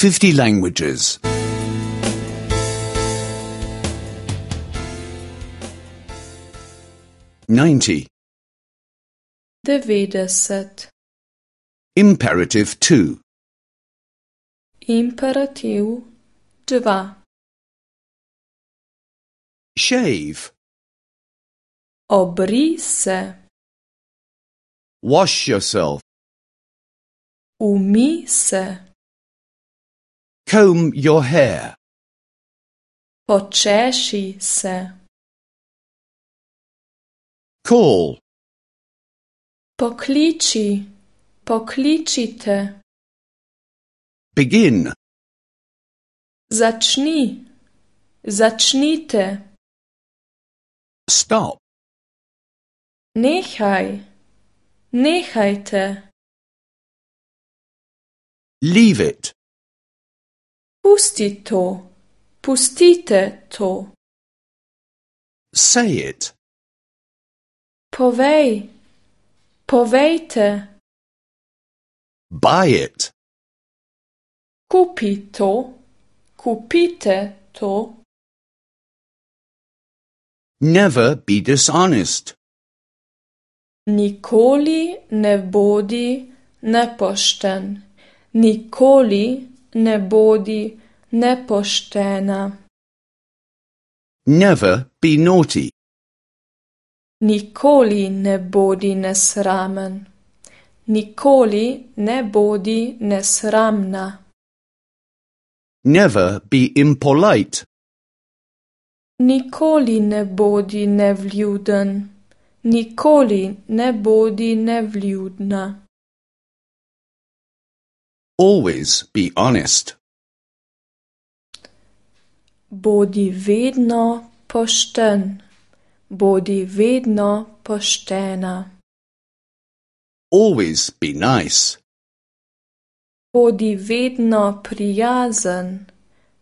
50 languages. 90. 90. Imperative 2. Imperativ 2. Shave. Obri se. Wash yourself. Umij se. Comb your hair. Počeši se. Call. Pokliči. Pokličite. Begin. Začni. Začnite. Stop. Nehaj. Nehajte. Leave it. Pusti to. Pustite to. Say it. Povej. Povejte. Buy it. Kupi to. Kupite to. Never be dishonest. Nikoli ne bodi nepošten. Nikoli ne bodi nepoštena. Never be naughty. Nikoli ne bodi nesramen. Nikoli ne bodi nesramna. Never be impolite. Nikoli ne bodi nevljuden. Nikoli ne bodi nevljudna. Always be honest. Bodi vedno pošten. Bodi vedno poštena. Always be nice. Bodi vedno prijazen.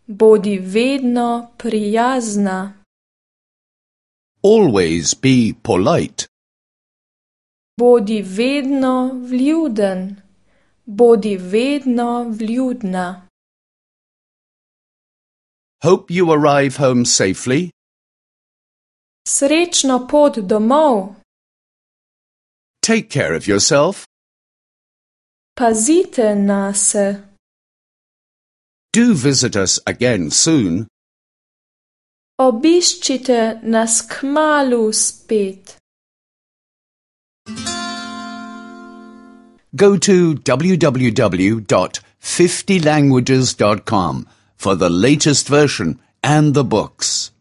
Bodi vedno prijazna. Always be polite. Bodi vedno vljuden. Bodi vedno vljudna. Hope you arrive home safely. Srečno pot domov. Take care of yourself. Pazite nase. Do visit us again soon. Obiščite nas kmalu spet. Go to www.50languages.com for the latest version and the books.